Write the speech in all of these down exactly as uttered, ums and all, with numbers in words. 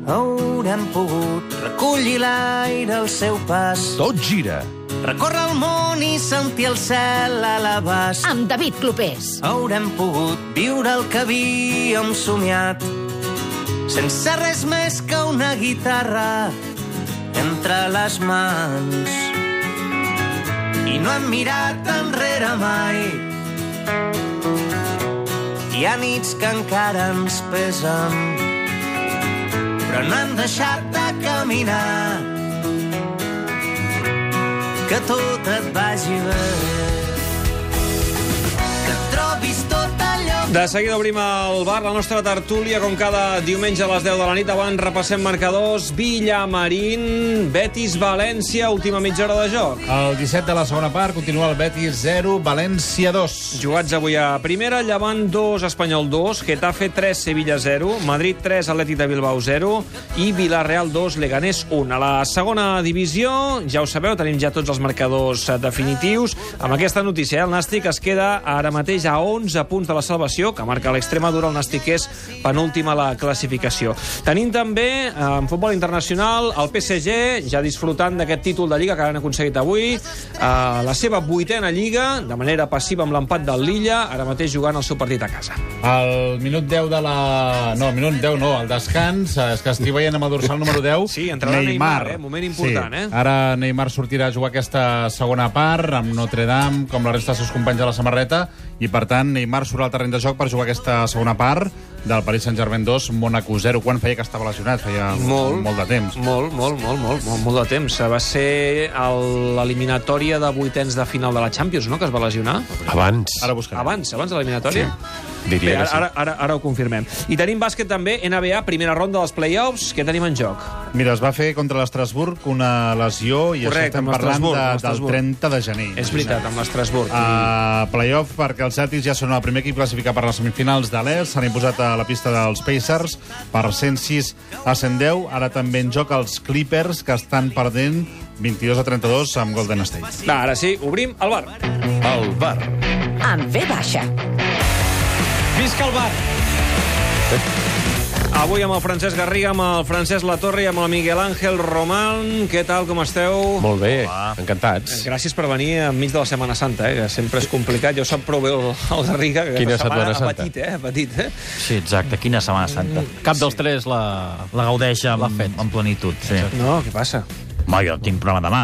haurem pogut recollir l'aire al seu pas. Tot gira. Recórrer el món i sentir el cel a l'abast. Amb David Clopés. Haurem pogut viure el que havíem somiat, sense res més que una guitarra entre les mans. I no hem mirat enrere mai. Hi ha nits que encara ens pesen, però no hem deixat de caminar. Que tot et vagi bé, que trobis tot allò... De seguida obrim el bar, la nostra tertúlia, com cada diumenge a les deu de la nit. Abans repassem marcadors. Villamarín, Betis, València, última mitja hora de joc. El disset de la segona part continua el Betis zero, València dos. Jugats avui a primera, Llevant dos, Espanyol dos, Getafe tres, Sevilla zero, Madrid tres, Atlètic de Bilbao zero i Villarreal dos, Leganés un. A la segona divisió, ja ho sabeu, tenim ja tots els marcadors definitius. Amb aquesta notícia, el Nàstic es queda ara mateix a onze punts de la salvació, que marca l'Extremadura. El Nàstic és penúltim a la classificació. Tenim també, en futbol internacional, el P S G, ja disfrutant d'aquest títol de Lliga que han aconseguit avui, la seva vuitena Lliga, de manera passiva amb l'empat del Lilla, ara mateix jugant el seu partit a casa. Al minut deu de la... No, al minut deu no, al descans, és que estic veient amb el dorsal número deu, sí, entrarà Neymar, Neymar eh? Moment important, sí. eh? Ara Neymar sortirà a jugar aquesta segona part, amb Notre Dame, com la resta dels seus companys a la samarreta, i per tant Neymar surt al terreny de joc per jugar aquesta segona part del Paris Saint-Germain dos, Mónaco zero. Quan feia que estava lesionat? Feia molt, molt de temps. Molt, molt, molt, molt, molt, molt de temps. Va ser l'eliminatòria de vuitens de final de la Champions, no?, que es va lesionar. Abans. Ara buscarem. Abans, abans de l'eliminatòria? Sí. Diria Bé, ara, que sí. ara, ara, ara ho confirmem. I tenim bàsquet també, N B A, primera ronda dels play-offs. Què tenim en joc? Mira, es va fer contra l'Estrasburg una lesió i Correcte, això estem parlant de, del trenta de gener. És veritat, amb l'Estrasburg. Uh, playoff perquè els Celtics ja són el primer equip classificat per les semifinals de l'Est. S'han imposat a la pista dels Pacers per cent sis a cent deu. Ara també en joc els Clippers, que estan perdent vint-i-dos a trenta-dos amb Golden State. Va, ara sí, obrim el bar. El bar. Amb V baixa. Visca el bar! Avui amb el Francesc Garriga, amb el Francesc Latorre i amb el Miguel Ángel Román. Què tal, com esteu? Molt bé, encantats. Gràcies per venir enmig de la Setmana Santa, eh, que sempre és complicat. Ja ho sap prou bé el, el Garriga, que Quina aquesta Setmana setmana ha Santa? patit, eh? Ha patit, eh? Sí, exacte, quina Setmana Santa. Cap dels tres la, la gaudeix amb, amb plenitud. Sí. No, què passa? Ma, jo tinc programa demà.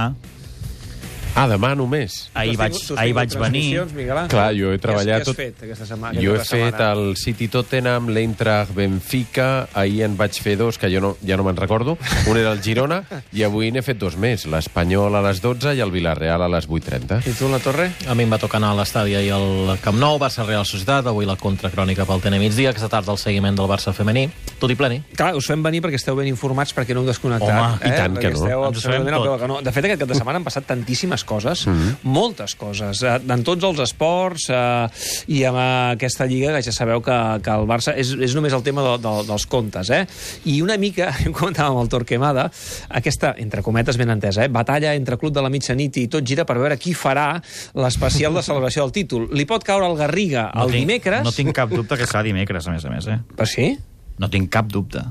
Ah, demà només. Ahir Tu has vaig, tingut- tu has ahir tingut vaig venir. transmissions, Miguel Ángel? Clar, jo he treballat Què has, tot- què has fet aquesta setmana? Jo he aquesta fet setmana? el City Tottenham, l'Eintracht Benfica, ahir en vaig fer dos, que jo no, ja no me'n recordo. Un era el Girona, i avui n'he fet dos més. L'Espanyol a les dotze i el Villarreal a les vuit trenta. I tu, la Torre? A mi em va tocar anar a l'estadi ahir al Camp Nou, Barça Real Societat, avui la contracrònica pel T N migdia, aquesta tarda el seguiment del Barça femení, tot i pleni. Clar, us fem venir perquè esteu ben informats, perquè no heu desconnectat. Home, i tant Perquè que no. esteu Ens ho sabem absolutament al peu tot. del canó. De fet, aquest cap de setmana han passat tantíssimes coses, mm-hmm. moltes coses, eh, en tots els esports, eh, i amb aquesta lliga, que ja sabeu que, que el Barça és, és només el tema de, de, dels comptes, eh? I una mica, ho comentàvem amb el Torquemada, aquesta, entre cometes ben entesa, eh, batalla entre Club de la Mitjanit i tot gira per veure qui farà l'especial de celebració del títol. Li pot caure al Garriga No el tinc- dimecres? No tinc cap dubte que serà dimecres, a més a més. Eh? Per sí? No tinc cap dubte.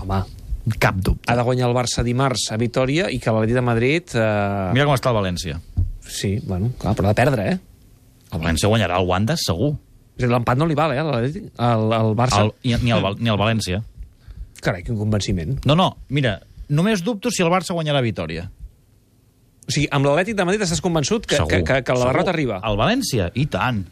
Home, Cap dubte. ha de guanyar el Barça dimarts a Vitòria i que l'Atlètic de Madrid... Eh... Mira com està el València. Sí, bueno, clar, però ha de perdre, eh? El València guanyarà el Wanda, segur. És a dir, l'empat no li val, eh, a l'Atlètic, al, al Barça. El, ni, ni, el, Val- ni el València. Carai, quin convenciment. No, no, mira, només dubto si el Barça guanyarà a Vitòria. O sigui, amb l'Atlètic de Madrid estàs convençut que, Segur, que, que, que la segur. derrota arriba? El València? I tant.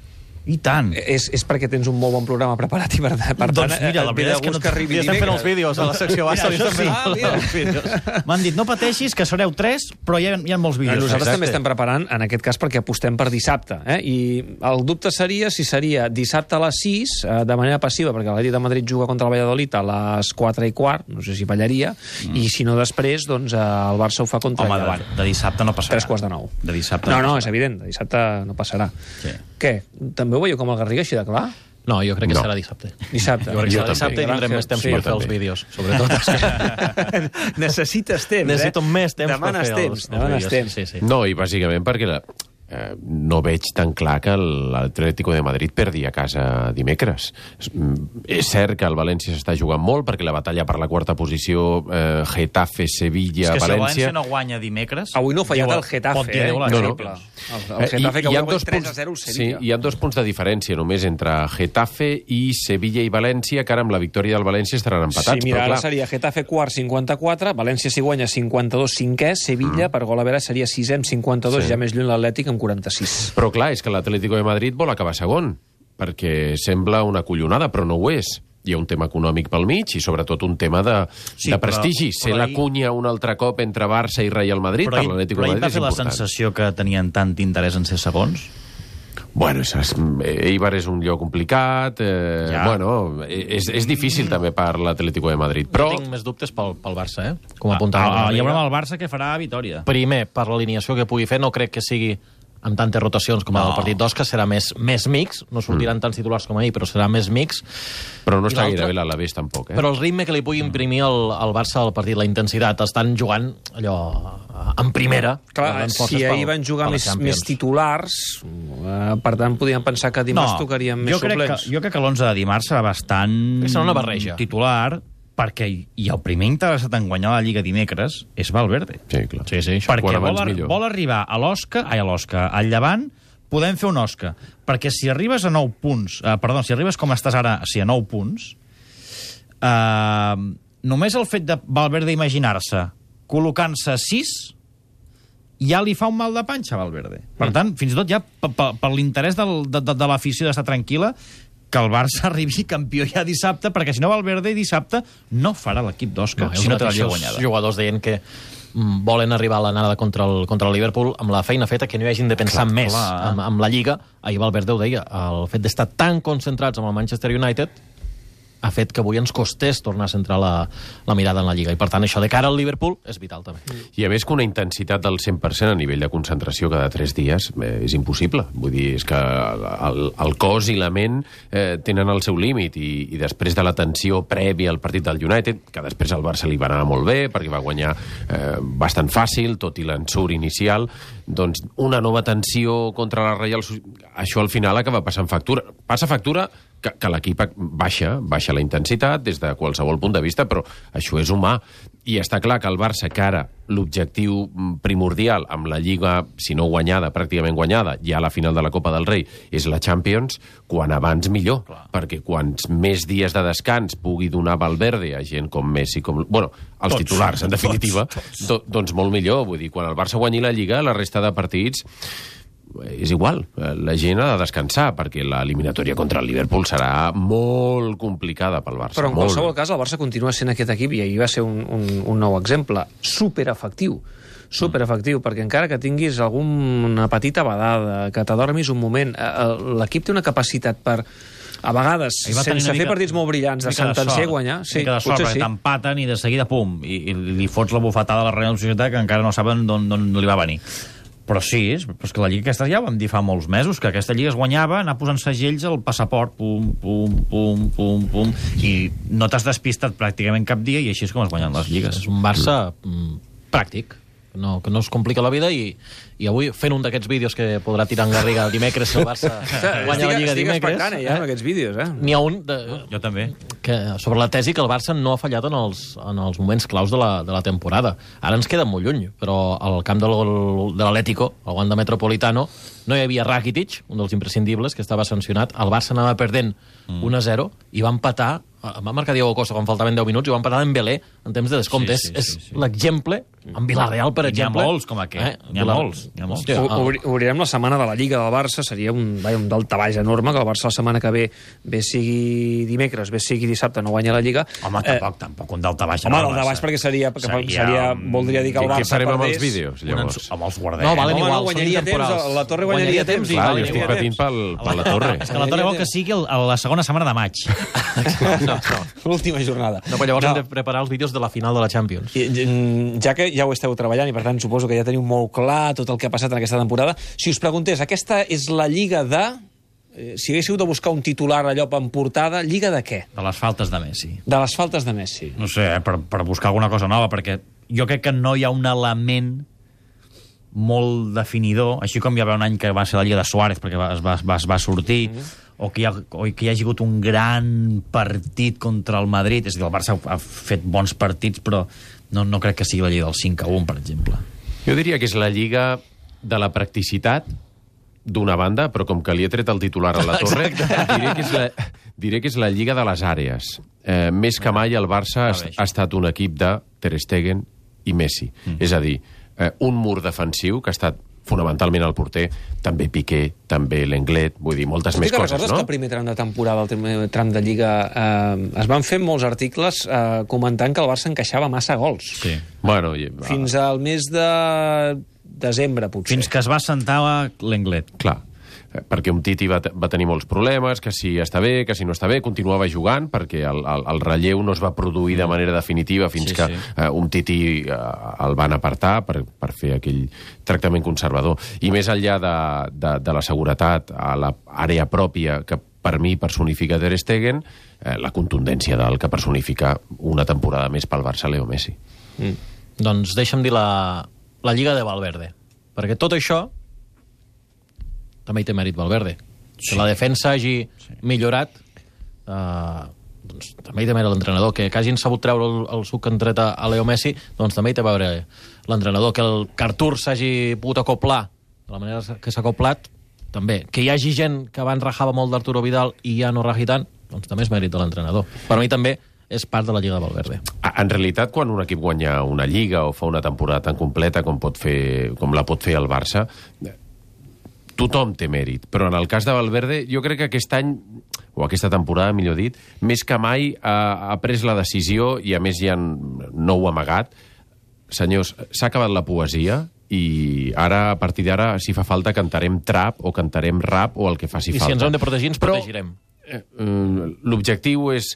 I tant. És, és perquè tens un molt bon programa preparat i per, per Doncs tant, mira, la et ve de veritat és que gust no... que arribi Ja estem fent dimecres. els vídeos a la secció baixa. Mira, això sí. Ah, mira. Els vídeos. M'han dit, no pateixis, que sereu tres, però hi ha, hi ha molts No, vídeos. nosaltres Exacte. també estem preparant, en aquest cas, perquè apostem per dissabte. Eh? I el dubte seria si seria dissabte a les sis, eh, de manera passiva, perquè l'Atlètic de Madrid juga contra el Valladolid a les quatre i quart, no sé si ballaria, mm. i si no després, doncs eh, el Barça ho fa contra Home, el de, Llevant. de dissabte no passarà. Tres quarts de nou. De dissabte No, no, és passarà. evident, de dissabte no passarà. Sí. Què? També ho veieu com el Garriga, així de clar? No, jo crec que No. serà dissabte. Dissabte. Jo crec que Jo serà dissabte i també. tindrem més temps Sí, per jo fer els també. vídeos, sobretot. Necessites temps, Necessito eh? més temps Demanes per fer temps, els, els demanes vídeos. temps. Sí, sí. No, i bàsicament perquè la... eh, no veig tan clar que l'Atlético de Madrid perdi a casa dimecres. És cert que el València s'està jugant molt, perquè la batalla per la quarta posició, eh, Getafe, Sevilla, és que València... si el València no guanya dimecres... Avui no ha fallat diu, el Getafe, pot dir, eh? No, no. El, el Getafe que avui ha guanyat tres a zero Sevilla. Sí, hi ha dos punts de diferència només entre Getafe i Sevilla i València, que ara amb la victòria del València estaran empatats. Sí, mira, però, ara clar, seria Getafe quart, cinquanta-quatre, València si guanya cinquanta-dos, cinquè, Sevilla, mm. per gol a veure, seria sisè amb cinquanta-dos, Sí. ja més lluny l'Atlètic amb quaranta-sis. Però clar, és que l'Atlético de Madrid vol acabar segon, perquè sembla una collonada, però no ho és. Hi ha un tema econòmic pel mig i sobretot un tema de, Sí, de però- prestigi. però Ser la ahir- cunya un altre cop entre Barça i Real Madrid Però per ahir, l'Atlético però de ahir va Madrid és fer la important. sensació que tenien tant interès en ser segons? Bueno, és, Eibar és un lloc complicat, eh, Ja. bueno, és, és difícil també per l'Atlético de Madrid, però... Jo tinc més dubtes pel, pel Barça, eh? Com Ah, apuntava. ah, la hi haurà Riga. el Barça que farà Vitòria. Primer, per l'alineació que pugui fer, no crec que sigui amb tantes rotacions com No. el partit d'Osca, serà més, més mix, no sortiran tants titulars com ahir, però serà més mix. Però no I està l'altre- gaire bé l'Alavés tampoc, eh? Però el ritme que li pugui imprimir el, el Barça al partit, la intensitat, estan jugant allò en primera. Clar, guardant forces si ahir pel- van jugar per la més, Champions. més titulars, eh, per tant, podíem pensar que dimarts tocarien més jo crec suplents. que, jo crec que l'onze de dimarts serà bastant Que serà una barreja. titular, perquè i el primer interessat en guanyar la Lliga dimecres és Valverde. Sí, clar. Sí, sí, això. Perquè Quan vol, abans ar millor. vol arribar a l'Osca, ai, a l'Osca, al Llevant, podem fer un Osca. Perquè si arribes a nou punts, eh, perdó, si arribes com estàs ara, o sigui, a nou punts, eh, només el fet de Valverde imaginar-se col·locant-se a sis ja li fa un mal de panxa a Valverde. Per Mm. tant, fins i tot ja per, per, per l'interès del, de, de, de l'afició d'estar tranquil·la, que el Barça arribi campió ja dissabte, perquè si no Valverde dissabte no farà l'equip d'Osca, No, si no té la Lliga els guanyada. jugadors deien que mm, volen arribar a l'anada contra el, contra el Liverpool amb la feina feta, que no hi hagin de pensar Clar, més clar. amb, amb la Lliga. Ahir Valverde ho deia, el fet d'estar tan concentrats amb el Manchester United ha fet que avui ens costés tornar a centrar la, la mirada en la Lliga. I, per tant, això de cara al Liverpool és vital, també. I a més que una intensitat del cent per cent a nivell de concentració cada tres dies eh, és impossible. Vull dir, és que el, el cos i la ment eh, tenen el seu límit i, i després de la tensió prèvia al partit del United, que després al Barça li va anar molt bé perquè va guanyar eh, bastant fàcil, tot i l'ensurt inicial, doncs una nova tensió contra la Real Societat, això al final acaba passant factura. Passa factura que, que l'equip baixa, baixa la intensitat des de qualsevol punt de vista, però això és humà. I està clar que el Barça, que ara l'objectiu primordial amb la Lliga, si no guanyada, pràcticament guanyada, ja a la final de la Copa del Rei, és la Champions, quan abans millor. Clar. Perquè quants més dies de descans pugui donar Valverde a gent com Messi, com... Bueno, els Tots, titulars, en definitiva, tots, tots. Do, doncs molt millor. Vull dir, quan el Barça guanyi la Lliga, la resta de partits és igual, la gent ha de descansar perquè l'eliminatòria contra el Liverpool serà molt complicada pel Barça. Però en molt. qualsevol cas el Barça continua sent aquest equip i ahir va ser un, un, un nou exemple superefectiu superefectiu, perquè encara que tinguis alguna petita badada, que t'adormis un moment, eh, l'equip té una capacitat per a vegades, Ahir va tenir sense una fer mica- partits molt brillants, de una mica de sentenciar i sort, guanyar. una mica de sort, potser perquè sí. t'empaten i de seguida, pum, i, i li fots la bufetada a la Real Societat que encara no saben d'on li va venir. Però sí, és, però és que la Lliga aquesta ja ho vam dir fa molts mesos, que aquesta Lliga es guanyava, anar posant segells al passaport, pum, pum, pum, pum, pum, i no t'has despistat pràcticament cap dia i així és com es guanyen les lligues. És un Barça mm, pràctic, no, que no es complica la vida, i, i avui fent un d'aquests vídeos que podrà tirar en Garriga dimecres si el Barça guanya la Lliga estic dimecres. expectant, eh, ja, en aquests vídeos, eh? N'hi ha un de, Jo també. que, sobre la tesi que el Barça no ha fallat en els, en els moments claus de la, de la temporada. Ara ens queda molt lluny, però al camp del, de l'Atlético, al Wanda Metropolitano, no hi havia Rakitic, un dels imprescindibles, que estava sancionat. El Barça anava perdent mm. un a zero i va empatar, va marcar Diego Costa quan faltaven deu minuts i va empatar en Belé en temps de descompte. Sí, sí, és sí, sí. és l'exemple, en Villarreal, per N'hi ha exemple. molts com aquest, Eh? n'hi ha Vilar- molts, n'hi ha molts. Hòstia, O- ah, obri- Obrirem la setmana de la Lliga del Barça, seria un, vaja, un daltabaix enorme, que el Barça la setmana que ve, bé sigui dimecres, bé sigui dissabte, no guanya la Lliga. Home, tampoc, tampoc un daltabaix. Home, no, daltabaix Barça. perquè seria, perquè Seria seria, un- voldria dir que el Què Barça farem amb perdés. els vídeos, Un llavors? ens- Amb els guardem. No, valen Home, igual, no, són guanyaria temps, intemporals. la Torre guanyaria temps, i Clar, valen jo estic igual. patint pel, per la torre. És que la Torre vol que sigui el, la segona setmana de maig. No, no. L'última jornada. No, però llavors No. hem de preparar els vídeos de la final de la Champions. I, mm, ja que ja ho esteu treballant i per tant suposo que ja teniu molt clar tot el que ha passat en aquesta temporada, si us preguntés, aquesta és la Lliga de... Eh, si haguéssiu de buscar un titular allò en portada, Lliga de què? De les faltes de Messi. De les faltes de Messi. No sé, eh, per, per buscar alguna cosa nova, perquè jo crec que no hi ha un element molt definidor, així com hi va haver un any que va ser la Lliga de Suárez, perquè va, es, va, va, es va sortir, mm -hmm. o, que hi ha, o que hi hagi hagut un gran partit contra el Madrid. És a dir, el Barça ha, ha fet bons partits, però no, no crec que sigui la Lliga del cinc a un, per exemple. Jo diria que és la Lliga de la practicitat, d'una banda, però com que li he tret el titular a la torre, diré que, és la, diré que és la Lliga de les àrees. Eh, més que mai el Barça ha, ha estat un equip de Ter Stegen i Messi. Mm. És a dir, eh, un mur defensiu que ha estat fonamentalment el porter, també Piqué, també Lenglet, vull dir, moltes més coses, no? Que el primer tram de temporada, el primer tram de Lliga, eh, es van fer molts articles eh, comentant que el Barça encaixava massa gols. Sí. Bueno, i, fins al mes de desembre, potser. Fins que es va sentar l'Englet. Clar, perquè un Titi va, va tenir molts problemes, que si està bé, que si no està bé, continuava jugant, perquè el, el, el relleu no es va produir de manera definitiva fins sí, que sí. Uh, un Titi uh, el van apartar per, per fer aquell tractament conservador. I més enllà de, de, de la seguretat a l'àrea pròpia, que per mi personifica Ter Stegen, eh, la contundència del que personifica una temporada més pel Barça Leo Messi. Mm. Doncs deixa'm dir la, la Lliga de Valverde, perquè tot això també hi té mèrit Valverde. Sí. Que la defensa hagi sí. millorat, eh, doncs també hi té mèrit l'entrenador. Que, que hagin sabut treure el, el suc que han tret a Leo Messi, doncs també hi té a veure l'entrenador. Que el que Artur s'hagi pogut acoplar de la manera que s'ha acoplat, també. Que hi hagi gent que abans rajava molt d'Arturo Vidal i ja no raji tant, doncs també és mèrit de l'entrenador. Per mi també és part de la Lliga de Valverde. En realitat, quan un equip guanya una Lliga o fa una temporada tan completa com, pot fer, com la pot fer el Barça, tothom té mèrit, però en el cas de Valverde jo crec que aquest any, o aquesta temporada millor dit, més que mai ha, ha pres la decisió, i a més ja no ho ha amagat. Senyors, s'ha acabat la poesia i ara, a partir d'ara, si fa falta cantarem trap o cantarem rap o el que faci I falta. I si ens hem de protegir, ens però, protegirem. Eh, l'objectiu és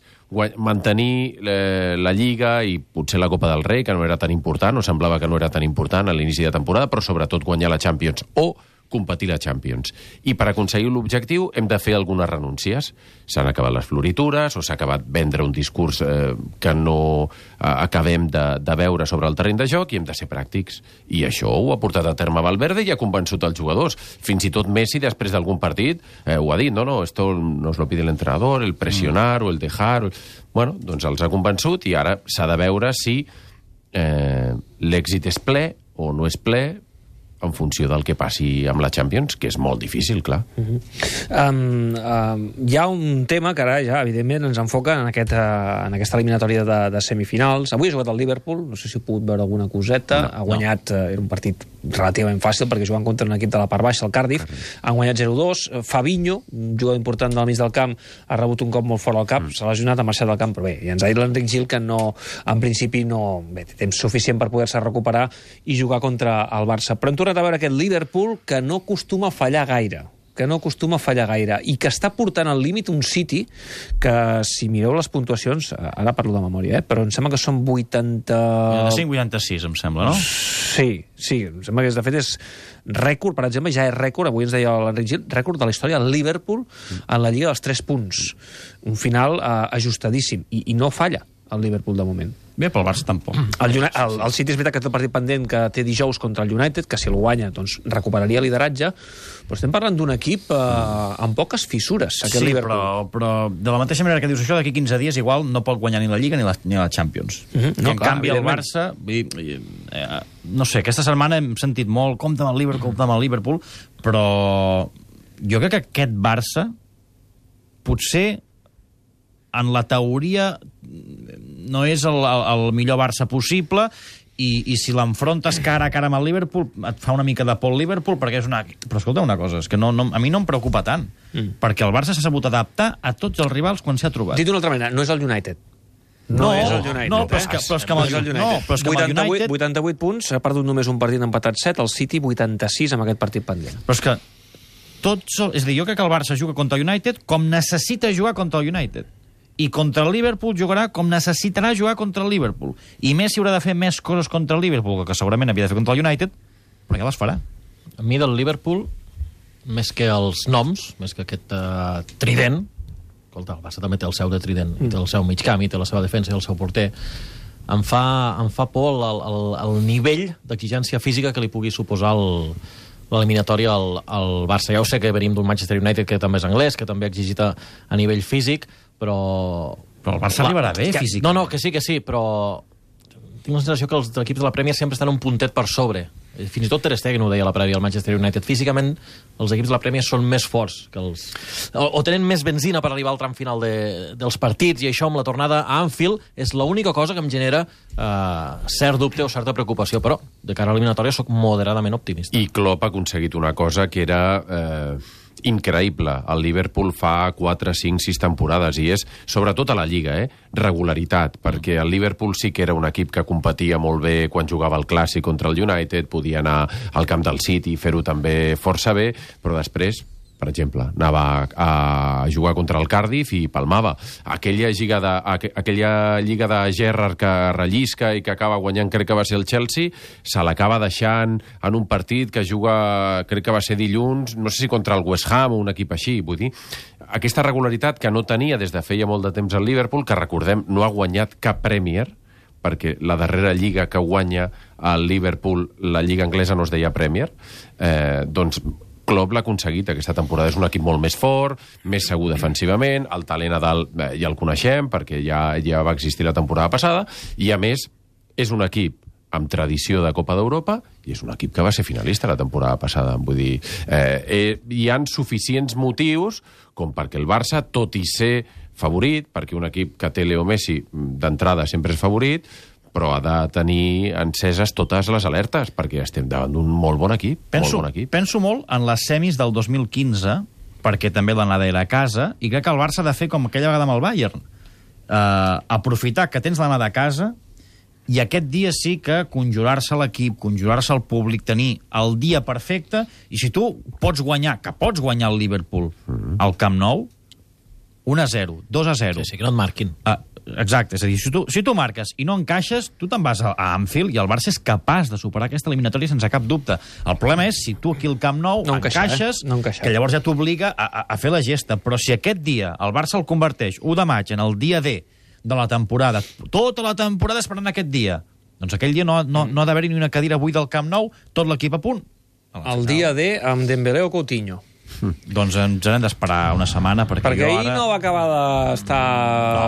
mantenir eh, la Lliga i potser la Copa del Rei, que no era tan important, o semblava que no era tan important a l'inici de temporada, però sobretot guanyar la Champions o competir la Champions. I per aconseguir l'objectiu hem de fer algunes renúncies. S'han acabat les floritures o s'ha acabat vendre un discurs eh, que no eh, acabem de, de veure sobre el terreny de joc, i hem de ser pràctics. I això ho ha portat a terme Valverde i ha convençut els jugadors. Fins i tot Messi, després d'algun partit, eh, ho ha dit, no, no, esto nos lo pide el entrenador, el presionar mm. o el dejar... O... Bueno, doncs els ha convençut i ara s'ha de veure si eh, l'èxit és ple o no és ple, en funció del que passi amb la Champions, que és molt difícil, clar. Uh-huh. um, um, hi ha un tema que ara ja, evidentment, ens enfoca en, aquest, uh, en aquesta eliminatòria de, de semifinals. Avui ha jugat el Liverpool, no sé si heu pogut veure alguna coseta, no, ha guanyat, no. uh, era un partit relativament fàcil, perquè juguen contra un equip de la part baixa, el Cardiff, Cardiff. Han guanyat zero dos. Fabinho, un jugador important del mig del camp, ha rebut un cop molt fort al cap, mm. s'ha lesionat, ha marxat del camp, però bé, i ens ha dit l'Enric Gil que no, en principi no, bé, té temps suficient per poder-se recuperar i jugar contra el Barça. Però hem tornat a veure aquest Liverpool que no acostuma a fallar gaire, que no acostuma a fallar gaire, i que està portant al límit un City que, si mireu les puntuacions, ara parlo de memòria, eh, però em sembla que són vuitanta... vuitanta-cinc vuitanta-sis, em sembla, no? Sí, sí, em sembla que, de fet, és rècord, per exemple, ja és rècord, avui ens deia l'Enric Gil, rècord de la història del Liverpool en la Lliga dels tres punts. Un final eh, ajustadíssim, i, i no falla el Liverpool de moment. Bé, pel Barça tampoc. El, el, el City és veritat que té el partit pendent que té dijous contra el United, que si el guanya doncs recuperaria el lideratge, però estem parlant d'un equip eh, amb poques fissures, aquest sí, Liverpool. Però, però de la mateixa manera que dius això, d'aquí quinze dies igual no pot guanyar ni la Lliga ni la, ni la Champions. Uh -huh. no, en clar, canvi el Barça... I, i, eh, no sé, aquesta setmana hem sentit molt compte amb el Liverpool, compte amb el Liverpool, però jo crec que aquest Barça potser en la teoria no és el, el, el millor Barça possible, i, i si l'enfrontes cara a cara amb el Liverpool et fa una mica de por el Liverpool, perquè és una... Però escolta una cosa, és que no, no, a mi no em preocupa tant, mm. perquè el Barça s'ha sabut adaptar a tots els rivals quan s'ha trobat. Dit d'una altra manera, no és el United. No, no és el United. No, però és que, però és que amb el, no, no, però és que amb el United... vuitanta-vuit punts, ha perdut només un partit, empatat set, el City vuitanta-sis amb aquest partit pendent. Però és que tots... És a dir, jo crec que el Barça juga contra el United com necessita jugar contra el United. I contra el Liverpool jugarà com necessitarà jugar contra el Liverpool. I Messi haurà de fer més coses contra el Liverpool, que segurament havia de fer contra el United, però ja les farà. A mi del Liverpool, més que els noms, més que aquest uh, trident, escolta, el Barça també té el seu de trident, mm. té el seu mig camp, i té la seva defensa i el seu porter, em fa, em fa por el, el, el nivell d'exigència física que li pugui suposar el, l'eliminatòria al, al Barça. Ja ho sé que venim d'un Manchester United que també és anglès, que també ha exigit a, a nivell físic, però... Però el Barça la, arribarà bé, que, físic. No, no, que sí, que sí, però tinc la sensació que els equips de la Premier sempre estan un puntet per sobre. Fins i tot Ter Stegen ho deia a la prèvia al Manchester United. Físicament, els equips de la Premier són més forts que els... O, o tenen més benzina per arribar al tram final de, dels partits, i això amb la tornada a Anfield és l'única cosa que em genera eh, cert dubte o certa preocupació, però de cara a l'eliminatòria sóc moderadament optimista. I Klopp ha aconseguit una cosa que era... Eh... increïble. El Liverpool fa quatre, cinc, sis temporades i és, sobretot a la Lliga, eh? regularitat, perquè el Liverpool sí que era un equip que competia molt bé quan jugava el Clàssic contra el United, podia anar al camp del City i fer-ho també força bé, però després, per exemple, anava a, a jugar contra el Cardiff i palmava. Aquella lliga de, aquella lliga de Gerrard que rellisca i que acaba guanyant, crec que va ser el Chelsea, se l'acaba deixant en un partit que juga, crec que va ser dilluns, no sé si contra el West Ham o un equip així, vull dir, aquesta regularitat que no tenia des de feia molt de temps el Liverpool, que recordem, no ha guanyat cap Premier, perquè la darrera lliga que guanya el Liverpool, la lliga anglesa no es deia Premier, eh, doncs Klopp l'ha aconseguit aquesta temporada. És un equip molt més fort, més segur defensivament, el talent a dalt eh, ja el coneixem, perquè ja, ja va existir la temporada passada, i a més és un equip amb tradició de Copa d'Europa i és un equip que va ser finalista la temporada passada. Vull dir, eh, eh, hi han suficients motius com perquè el Barça, tot i ser favorit, perquè un equip que té Leo Messi d'entrada sempre és favorit, però ha de tenir enceses totes les alertes, perquè estem davant d'un molt bon equip. Penso molt bon equip. penso molt en les semis del dos mil quinze, perquè també l'anada era a casa, i crec que el Barça ha de fer com aquella vegada amb el Bayern. Uh, aprofitar que tens l'anada a casa, i aquest dia sí que conjurar-se l'equip, conjurar-se el públic, tenir el dia perfecte, i si tu pots guanyar, que pots guanyar el Liverpool mm-hmm. al Camp Nou, un a zero, dos a zero. Sí, sí, que no et marquin. Uh, Exacte, és a dir, si tu, si tu marques i no encaixes, tu te'n vas a, a Anfield i el Barça és capaç de superar aquesta eliminatòria sense cap dubte. El problema és si tu aquí al Camp Nou no encaixar, encaixes, eh? no que llavors ja t'obliga a, a, a fer la gesta. Però si aquest dia el Barça el converteix u de maig en el dia D de la temporada, tota la temporada esperant aquest dia, doncs aquell dia no, no, no ha d'haver-hi ni una cadira buida al Camp Nou, tot l'equip a punt. El dia D amb Dembélé o Coutinho. Mm. Doncs ens hem d'esperar una setmana perquè, perquè jo ahir ara... no va acabar d'estar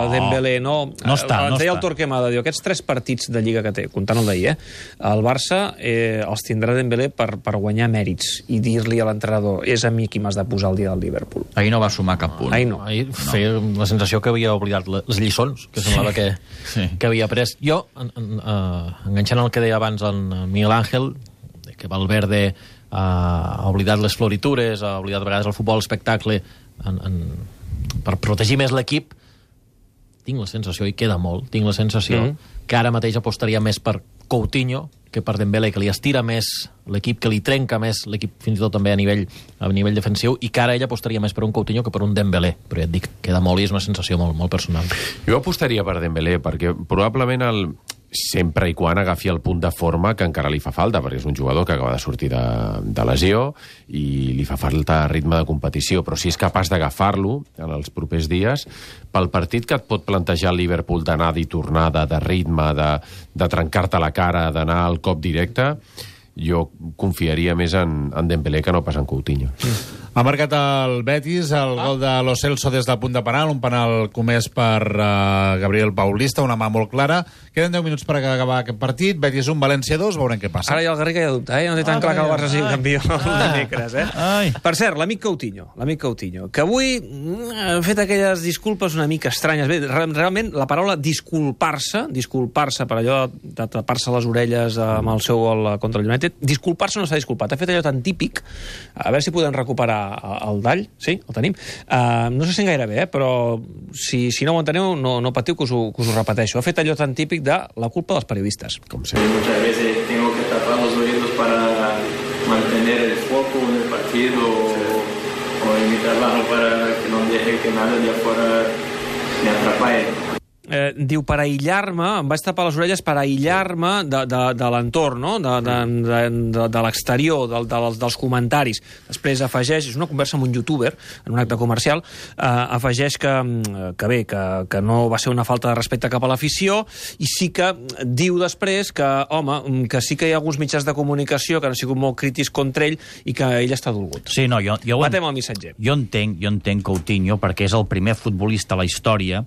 no, Dembélé, no? No està, ens no deia està. El Torquemada, diu, aquests tres partits de Lliga que té, comptant el d'ahir, eh? El Barça eh, els tindrà Dembélé per, per guanyar mèrits i dir-li a l'entrenador, és a mi qui m'has de posar el dia del Liverpool. Ahir no va sumar cap punt. Ahir no. Ahir feia la sensació que havia oblidat les lliçons, que semblava que, Sí. que havia après. Jo, en, en, uh, enganxant el que deia abans en Miguel Ángel, que Valverde Uh, ha oblidat les floritures, ha oblidat a vegades el futbol, l'espectacle, en, en, per protegir més l'equip, tinc la sensació, i queda molt, tinc la sensació mm-hmm. que ara mateix apostaria més per Coutinho que per Dembélé, que li estira més l'equip, que li trenca més l'equip, fins i tot també a nivell, a nivell defensiu, i que ara ella apostaria més per un Coutinho que per un Dembélé. Però ja et dic, queda molt i és una sensació molt, molt personal. Jo apostaria per Dembélé, perquè probablement el... sempre i quan agafi el punt de forma que encara li fa falta, perquè és un jugador que acaba de sortir de, de lesió i li fa falta ritme de competició, però si és capaç d'agafar-lo en els propers dies, pel partit que et pot plantejar el Liverpool d'anada i tornada, de ritme, de, de trencar-te la cara, d'anar al cop directe, jo confiaria més en, en Dembélé que no pas en Coutinho. Mm. Ha marcat el Betis el ah. gol de Lo Celso des del punt de penal, un penal comès per uh, Gabriel Paulista, una mà molt clara. Queden deu minuts per acabar aquest partit. Betis un, València dos, veurem què passa. Ara ja el Garriga ja dubta, eh? No té tan ah, clar que el Barça sigui ai. campió el dimecres, eh? Ai. Per cert, l'amic Coutinho, l'amic Coutinho, que avui ha fet aquelles disculpes una mica estranyes. Bé, realment, la paraula disculpar-se, disculpar-se per allò de tapar-se les orelles amb el seu gol contra el United, disculpar-se no s'ha disculpat. Ha fet allò tan típic, a veure si podem recuperar el dall, sí, el tenim. Uh, no se sent gaire bé, eh? Però si, si no ho enteneu, no, no patiu que us, ho, que us ho repeteixo. Ha fet allò tan típic de la culpa dels periodistes. Com sempre. Muchas veces tengo que tapar los oídos para mantener el foco en el partido o, o en mi trabajo para que no deje que nada de afuera me atrape. eh, diu, per aïllar-me, em vaig tapar les orelles per aïllar-me de, de, de l'entorn, no? de, de, de, de, de l'exterior, de, de, dels comentaris. Després afegeix, és una conversa amb un youtuber, en un acte comercial, eh, afegeix que, que bé, que, que no va ser una falta de respecte cap a l'afició, i sí que diu després que, home, que sí que hi ha alguns mitjans de comunicació que han sigut molt crítics contra ell i que ell està dolgut. Sí, no, jo, jo, Matem el missatger. Jo entenc, jo entenc Coutinho perquè és el primer futbolista a la història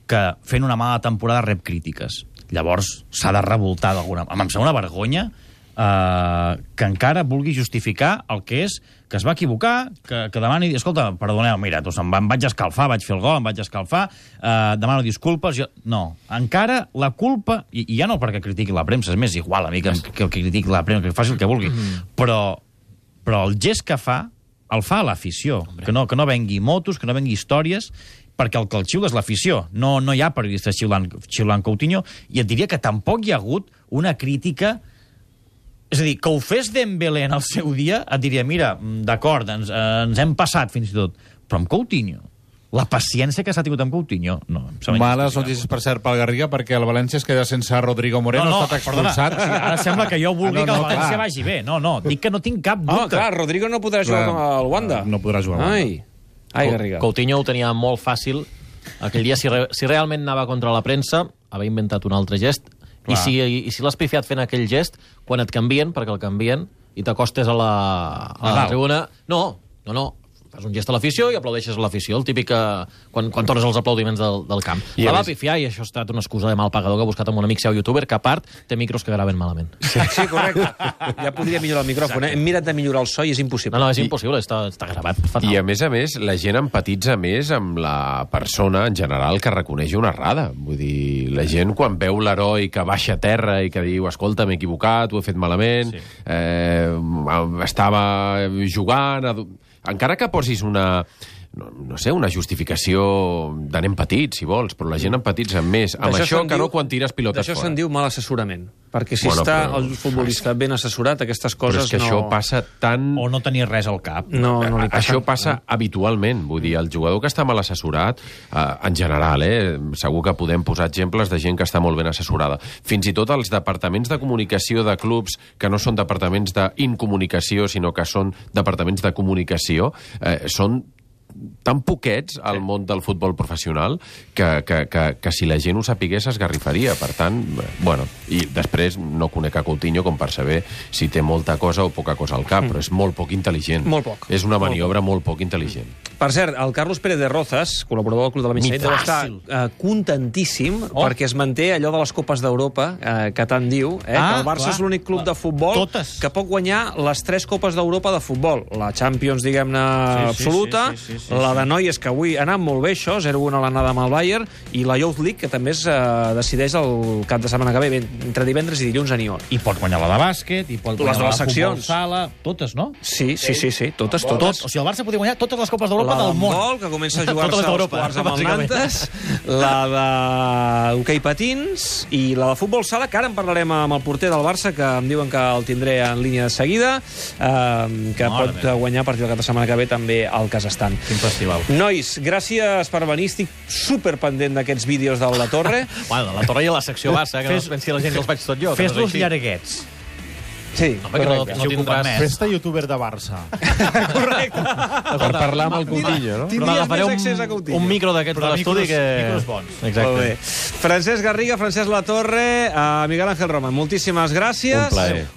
que fent una mala temporada rep crítiques. Llavors s'ha de revoltar d'alguna... Em sembla una vergonya eh, que encara vulgui justificar el que és, que es va equivocar, que, que demani... Escolta, perdoneu, mira, doncs em, em vaig escalfar, vaig fer el gol, em vaig escalfar, eh, demano disculpes... Jo... No, encara la culpa... I, I ja no perquè critiqui la premsa, és més igual a mi que, que, que critiqui la premsa, que faci el que vulgui, mm. però, però el gest que fa el fa a l'afició, que no, que no vengui motos, que no vengui històries, perquè el que el xiula és l'afició. No, no hi ha periodistes xiulant, xiulant Coutinho, i et diria que tampoc hi ha hagut una crítica... És a dir, que ho fes Dembélé en el seu dia, et diria, mira, d'acord, ens, ens hem passat fins i tot, però amb Coutinho, la paciència que s'ha tingut amb Coutinho... No, males notícies, per cert, pel Garriga, perquè el València es queda sense Rodrigo Moreno, no, no, ha estat expulsat. Perdona, ara sembla que jo vulgui ah, no, que el no, València clar. vagi bé. No, no, dic que no tinc cap dubte. Ah, clar, Rodrigo no podrà jugar Clar, al Wanda. No podrà jugar al Wanda. Ai, ai, Garriga. Coutinho ho tenia molt fàcil. Aquell dia, si, re, si realment anava contra la premsa, havia inventat un altre gest, i si, i, i si l'has pifiat fent aquell gest, quan et canvien, perquè el canvien, i t'acostes a la, a la tribuna... No, no, no. Fas un gest a l'afició i aplaudeixes a l'afició, el típic que, quan, quan tornes els aplaudiments del, del camp. I la va pifiar, i això ha estat una excusa de mal pagador que ha buscat amb un amic seu youtuber, que a part té micros que graven malament. Sí, sí, correcte. Ja podria millorar el micròfon, eh? Hem mirat de millorar el so i és impossible. No, no, és impossible, està, està gravat fatal. I a més a més, la gent empatitza més amb la persona en general que reconeix una errada. Vull dir, la gent quan veu l'heroi que baixa a terra i que diu, escolta, m'he equivocat, ho he fet malament, sí. eh, estava jugant... Encara que posis una, no, no sé, una justificació de nen petit, si vols, però la gent empatitza més amb això que no quan tires pilotes fora. D'això se'n diu mal assessorament, perquè si bueno, està però, el futbolista ben assessorat, aquestes coses no... Però és que no... això passa tan... O no tenir res al cap. No, no li passa. Això passa habitualment, vull dir, el jugador que està mal assessorat, eh, en general, eh, segur que podem posar exemples de gent que està molt ben assessorada. Fins i tot els departaments de comunicació de clubs que no són departaments d'incomunicació, sinó que són departaments de comunicació, eh, són tan poquets al món del futbol professional que, que, que, que si la gent ho sapigués esgarrifaria. Per tant, bueno, i després no conec a Coutinho com per saber si té molta cosa o poca cosa al cap, mm. però és molt poc intel·ligent. Molt poc. És una maniobra molt, molt poc intel·ligent. Per cert, el Carlos Pérez de Rozas, col·laborador del Club de la Mitjanit, deu estar uh, contentíssim oh. perquè es manté allò de les Copes d'Europa, uh, que tant diu, eh, ah, que el Barça clar, és l'únic club clar. de futbol Totes. que pot guanyar les tres Copes d'Europa de futbol. La Champions, diguem-ne, sí, absoluta, sí, sí, sí, sí, sí, la de noies, que avui ha anat molt bé això, zero a un a l'anada amb el Bayern, i la Youth League, que també es uh, decideix el cap de setmana que ve, entre divendres i dilluns a Nyon. I pot guanyar la de bàsquet, i pot guanyar les de les la de futbol seccions. sala, totes, no? Sí, sí, sí, sí, totes, totes. Tot, o sigui, el Barça podria guanyar totes les Copes d'Europa del món. La que comença a jugar-se als quarts amb el Nantes, la de hoquei patins i la de futbol sala, que ara en parlarem amb el porter del Barça, que em diuen que el tindré en línia de seguida, eh, que no, pot guanyar a partir del cap de setmana que ve també al Kazakhstan. Quin festival. Nois, gràcies per venir. Estic superpendent d'aquests vídeos de la Torre. Bueno, de la Torre i a la secció Barça, que fes, no es pensi la gent que els faig tot jo. Fes-los llarguets. Sí, no, no, no tindràs... Festa youtuber de Barça. Correcte. Per parlar amb el Coutinho, no? Tindries més accés a Coutinho. Un micro d'aquests de l'estudi que... Micros bons. Exacte. Molt bé. Francesc Garriga, Francesc Latorre, uh, Miguel Ángel Roman, moltíssimes gràcies. Un plaer.